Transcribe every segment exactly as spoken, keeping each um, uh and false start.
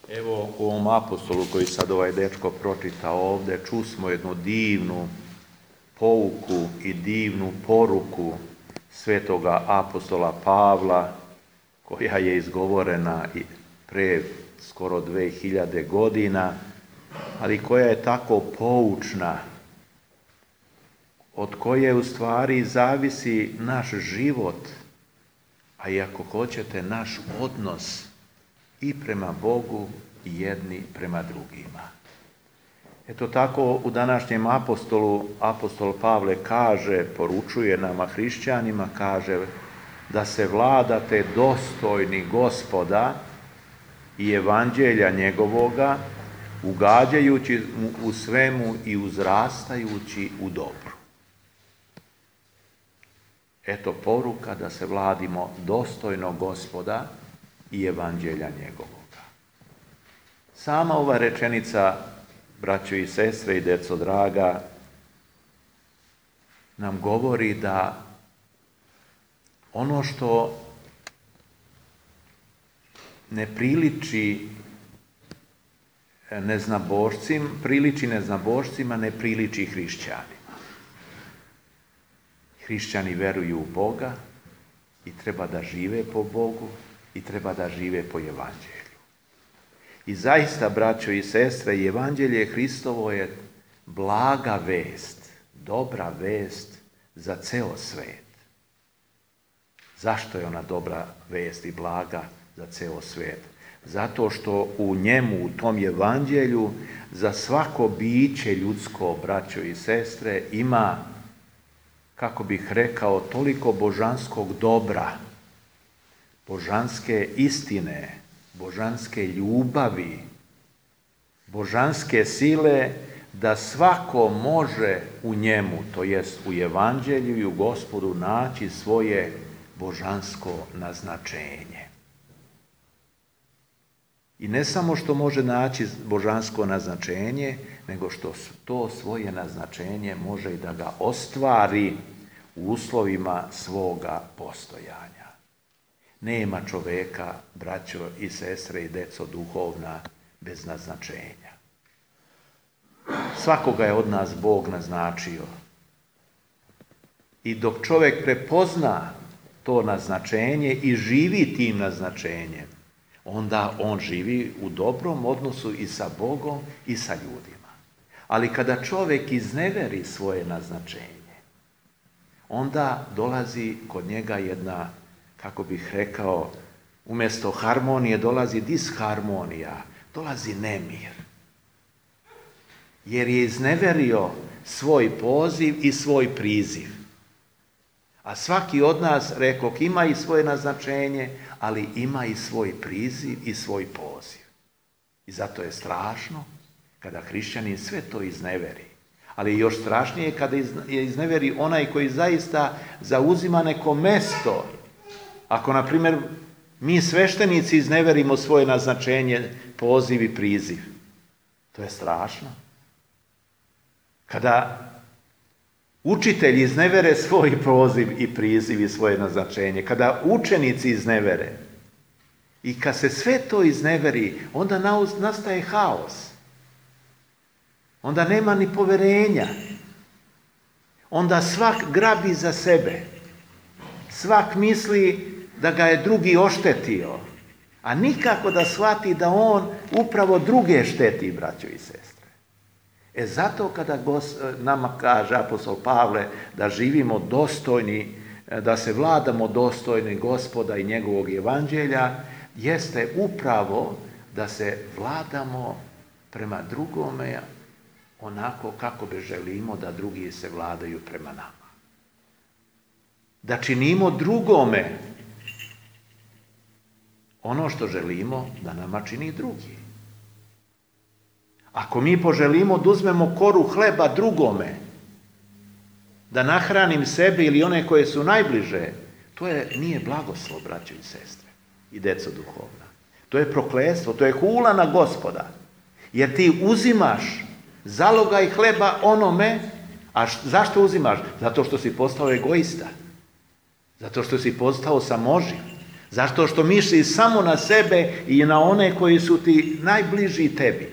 Evo u ovom apostolu koji sad ovaj dečko pročita ovde, čusmo jednu divnu pouku i divnu poruku svetoga apostola Pavla, koja je izgovorena i pre skoro dve hiljade godina, ali koja je tako poučna, od koje u stvari zavisi naš život, a i ako hoćete naš odnos i prema Bogu i jedni prema drugima. Eto tako u današnjem apostolu, apostol Pavle kaže, poručuje nama hrišćanima, kaže da se vladate dostojni Gospoda i evanđelja njegovoga, ugađajući mu u svemu i uzrastajući u dobru. Eto poruka da se vladimo dostojno Gospoda i evanđelja njegovoga. Sama ova rečenica, braćo i sestre i deco draga, nam govori da ono što ne priliči neznabošcima, priliči neznabošcima, ne priliči hrišćanima. Hrišćani veruju u Boga i treba da žive po Bogu i treba da žive po evanđelju. I zaista, braćo i sestre, evanđelje Hristovo je blaga vest, dobra vest za ceo svet. Zašto je ona dobra vest i blaga za ceo svet? Zato što u njemu, u tom evanđelju, za svako biće ljudsko, braćo i sestre, ima, kako bih rekao, toliko božanskog dobra, božanske istine, božanske ljubavi, božanske sile, da svako može u njemu, to jest u evanđelju i u Gospodu, naći svoje božansko naznačenje. I ne samo što može naći božansko naznačenje, nego što to svoje naznačenje može i da ga ostvari u uslovima svoga postojanja. Nema čoveka, braćo i sestre i deco duhovna, bez naznačenja. Svakoga je od nas Bog naznačio. I dok čovjek prepozna to naznačenje i živi tim naznačenjem, onda on živi u dobrom odnosu i sa Bogom i sa ljudima. Ali kada čovjek izneveri svoje naznačenje, onda dolazi kod njega jedna, kako bih rekao, umjesto harmonije dolazi disharmonija, dolazi nemir. Jer je izneverio svoj poziv i svoj priziv. A svaki od nas, rekoh, ima i svoje naznačenje, ali ima i svoj priziv i svoj poziv. I zato je strašno kada hrišćanin sve to izneveri. Ali je još strašnije kada je izneveri onaj koji zaista zauzima neko mesto. Ako, na primjer, mi sveštenici izneverimo svoje naznačenje, poziv i priziv, to je strašno. Kada učitelji iznevere svoj poziv i priziv i svoje naznačenje, kada učenici iznevere i kad se sve to izneveri, onda nastaje haos. Onda nema ni poverenja. Onda svak grabi za sebe. Svak misli da ga je drugi oštetio, a nikako da shvati da on upravo druge šteti, braćo i sestre. E zato kada nama kaže apostol Pavle da živimo dostojni, da se vladamo dostojni Gospoda i njegovog evanđelja, jeste upravo da se vladamo prema drugome onako kako bi želimo da drugi se vladaju prema nama. Da činimo drugome ono što želimo da nama čini drugi. Ako mi poželimo da uzmemo koru hleba drugome, da nahranim sebe ili one koje su najbliže, to je, nije blagoslov, braćo i sestre i deco duhovna. To je prokletstvo, to je hula na Gospoda. Jer ti uzimaš zalogaj hleba onome, a zašto uzimaš? Zato što si postao egoista. Zato što si postao samoživ. Zato što misliš samo na sebe i na one koji su ti najbliži tebi.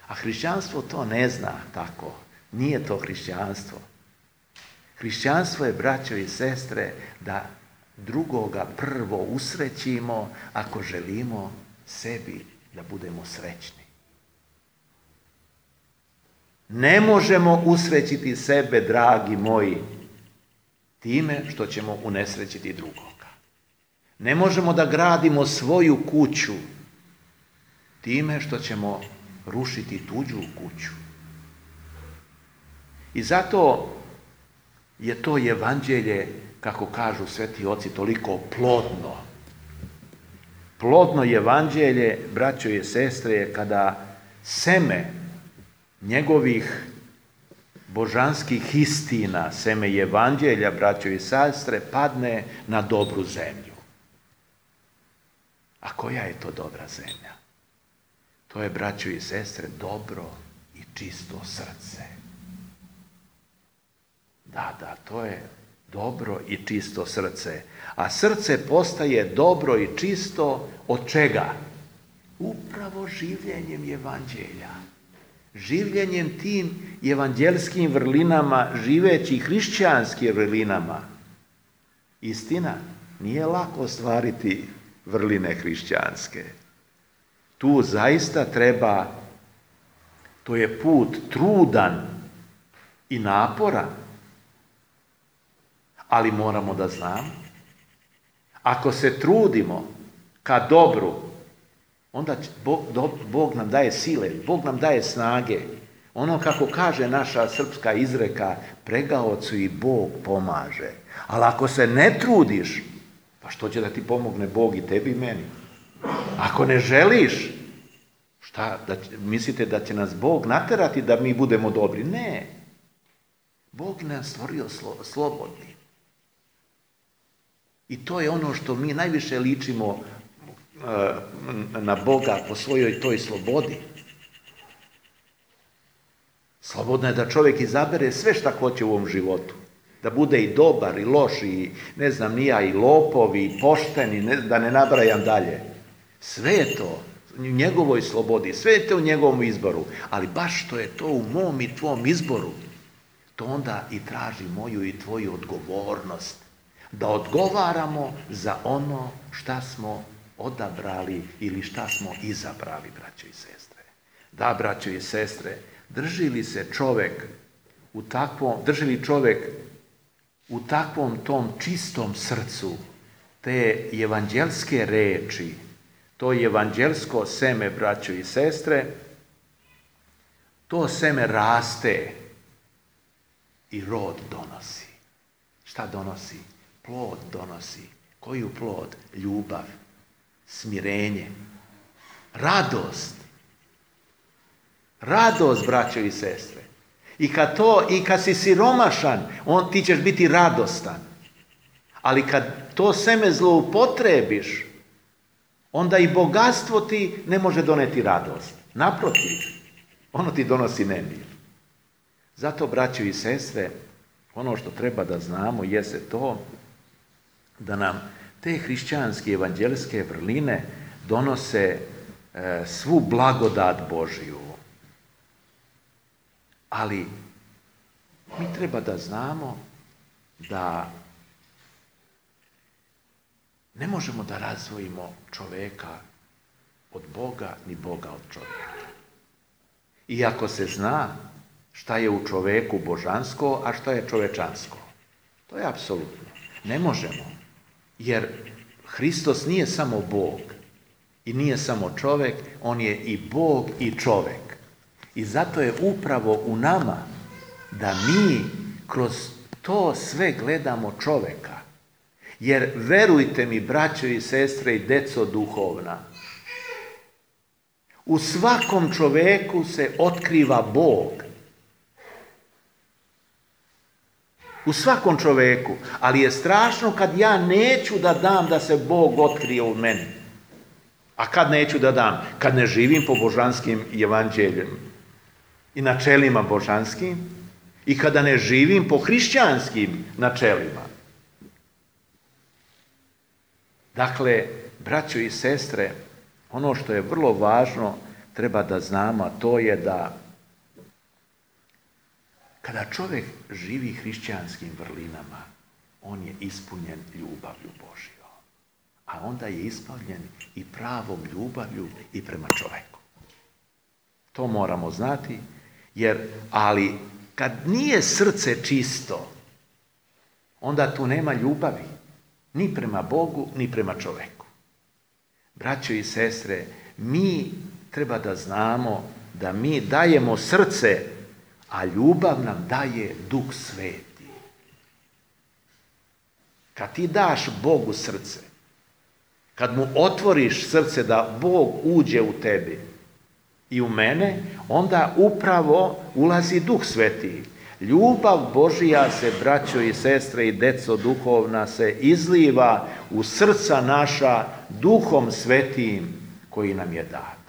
A hrišćanstvo to ne zna tako. Nije to hrišćanstvo. Hrišćanstvo je, braćo i sestre, da drugoga prvo usrećimo ako želimo sebi da budemo srećni. Ne možemo usrećiti sebe, dragi moji, time što ćemo unesrećiti drugoga. Ne možemo da gradimo svoju kuću time što ćemo rušiti tuđu kuću. I zato je to evanđelje, kako kažu sveti oci, toliko plodno. Plodno evanđelje, braćo i sestre, je kada seme njegovih božanskih istina, seme evanđelja, braćo i sestre, padne na dobru zemlju. A koja je to dobra zemlja? To je, braćo i sestre, dobro i čisto srce. Da, da, to je dobro i čisto srce. A srce postaje dobro i čisto od čega? Upravo življenjem evanđelja. Življenjem tim evanđelskim vrlinama, živeći hrišćanskim vrlinama. Istina, nije lako ostvariti vrline hrišćanske. Tu zaista treba, to je put trudan i naporan, ali moramo da znamo, ako se trudimo ka dobru, onda Bog, Bog nam daje sile, Bog nam daje snage. Ono kako kaže naša srpska izreka, pregaocu i Bog pomaže. Ali ako se ne trudiš, pa što će da ti pomogne Bog i tebi i meni? Ako ne želiš, šta, da, mislite da će nas Bog naterati da mi budemo dobri? Ne. Bog nas stvorio slo, slobodni. I to je ono što mi najviše ličimo uh, na Boga po svojoj toj slobodi. Slobodno je da čovjek izabere sve šta hoće u ovom životu. Da bude i dobar, i loš, i ne znam ni ja, i lopov, i pošten, i ne, da ne nabrajam dalje. Sve je to u njegovoj slobodi, sve je to u njegovom izboru. Ali baš što je to u mom i tvom izboru, to onda i traži moju i tvoju odgovornost. Da odgovaramo za ono šta smo odabrali ili šta smo izabrali, braćo i sestre. Da, braćo i sestre, drži li se čovjek u takvom, drži li čovjek u takvom tom čistom srcu te evanđelske reči, to evanđelsko seme, braćo i sestre, to seme raste i rod donosi. Šta donosi? Plod donosi. Koju plod? Ljubav, smirenje, radost. Radost, braćo i sestre. I kad to, i kad si siromašan, on, ti ćeš biti radostan. Ali kad to seme zloupotrebiš, onda i bogatstvo ti ne može doneti radost. Naprotiv, ono ti donosi nemir. Zato, braćo i sestre, ono što treba da znamo jeste to da nam te hrišćanske evanđelske vrline donose e, svu blagodat Božiju. Ali mi treba da znamo da ne možemo da razdvojimo čoveka od Boga, ni Boga od čovjeka. Iako se zna šta je u čoveku božansko, a šta je čovečansko. To je apsolutno. Ne možemo. Jer Hristos nije samo Bog i nije samo čovjek, on je i Bog i čovjek. I zato je upravo u nama da mi kroz to sve gledamo čovjeka. Jer verujte mi, braćo i sestre i deco duhovna, u svakom čovjeku se otkriva Bog. U svakom čovjeku. Ali je strašno kad ja neću da dam da se Bog otkrije u meni. A kad neću da dam? Kad ne živim po božanskim evanđeljem i načelima božanskim i kada ne živim po hrišćanskim načelima. Dakle, braćo i sestre, ono što je vrlo važno treba da znamo, a to je da kada čovjek živi hrišćanskim vrlinama, on je ispunjen ljubavlju Božjom. A onda je ispunjen i pravom ljubavlju i prema čovjeku. To moramo znati, jer, ali kad nije srce čisto, onda tu nema ljubavi, ni prema Bogu, ni prema čovjeku. Braćo i sestre, mi treba da znamo da mi dajemo srce, a ljubav nam daje Duh Sveti. Kad ti daš Bogu srce, kad mu otvoriš srce da Bog uđe u tebi i u mene, onda upravo ulazi Duh Sveti. Ljubav Božija se, braćo i sestre i deco duhovna, se izliva u srca naša Duhom Svetim koji nam je dat.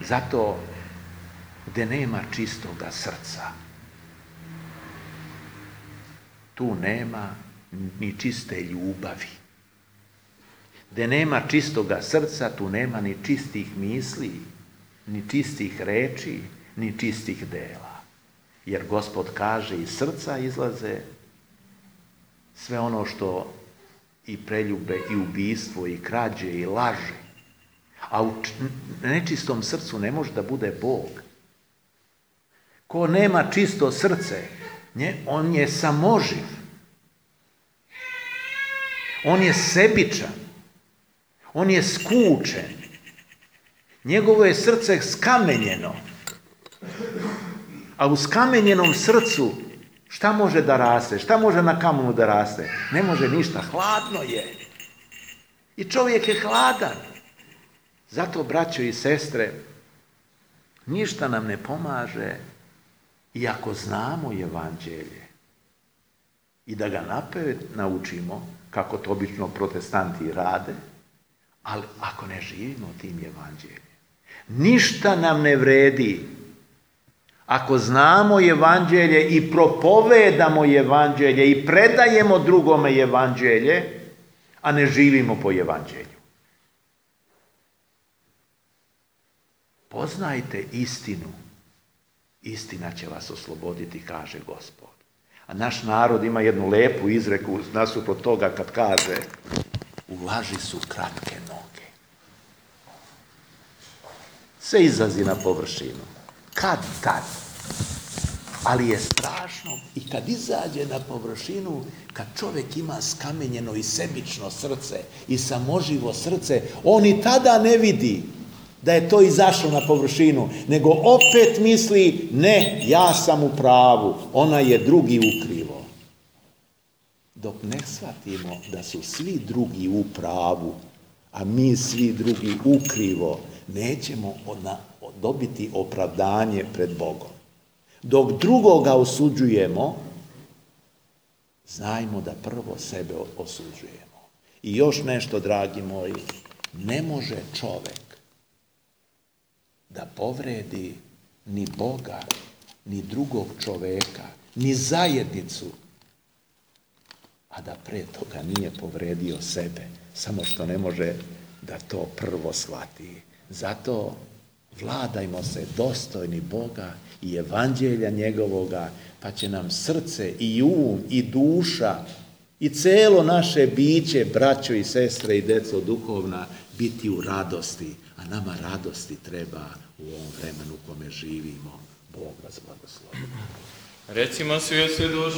Zato gdje nema čistoga srca, tu nema ni čiste ljubavi. Gdje nema čistoga srca, tu nema ni čistih misli, ni čistih reči, ni čistih dela. Jer Gospod kaže, iz srca izlaze sve ono što i preljube, i ubistvo, i krađe, i laže. A u nečistom srcu ne može da bude Bog. Ko nema čisto srce, on je samoživ. On je sebičan. On je skučen. Njegovo je srce skamenjeno. A u skamenjenom srcu šta može da raste? Šta može na kamenu da raste? Ne može ništa. Hladno je. I čovjek je hladan. Zato, braćo i sestre, ništa nam ne pomaže i ako znamo evanđelje i da ga napred naučimo, kako to obično protestanti rade, ali ako ne živimo tim evanđeljem, ništa nam ne vredi ako znamo evanđelje i propovedamo evanđelje i predajemo drugome evanđelje, a ne živimo po evanđelju. Poznajte istinu, istina će vas osloboditi, kaže Gospod. A naš narod ima jednu lepu izreku nasuprot toga kad kaže, u laži su kratke noge. Sve izlazi na površinu. Kad tad? Ali je strašno i kad izađe na površinu, kad čovjek ima skamenjeno i sebično srce i samoživo srce, on i tada ne vidi da je to izašlo na površinu, nego opet misli, ne, ja sam u pravu, ona je drugi ukrivo. Dok ne shvatimo da su svi drugi u pravu, a mi svi drugi ukrivo, nećemo dobiti opravdanje pred Bogom. Dok drugoga osuđujemo, znajmo da prvo sebe osuđujemo. I još nešto, dragi moji, ne može čovjek da povredi ni Boga, ni drugog čoveka, ni zajednicu, a da pre toga nije povredio sebe, samo što ne može da to prvo shvati. Zato vladajmo se dostojni Boga i evanđelja njegovoga, pa će nam srce i um i duša i celo naše biće, braćo i sestre i deco duhovna, biti u radosti. A nama radosti treba u ovom vremenu u kome živimo. Bog vas blagoslovi. Recimo svi duše.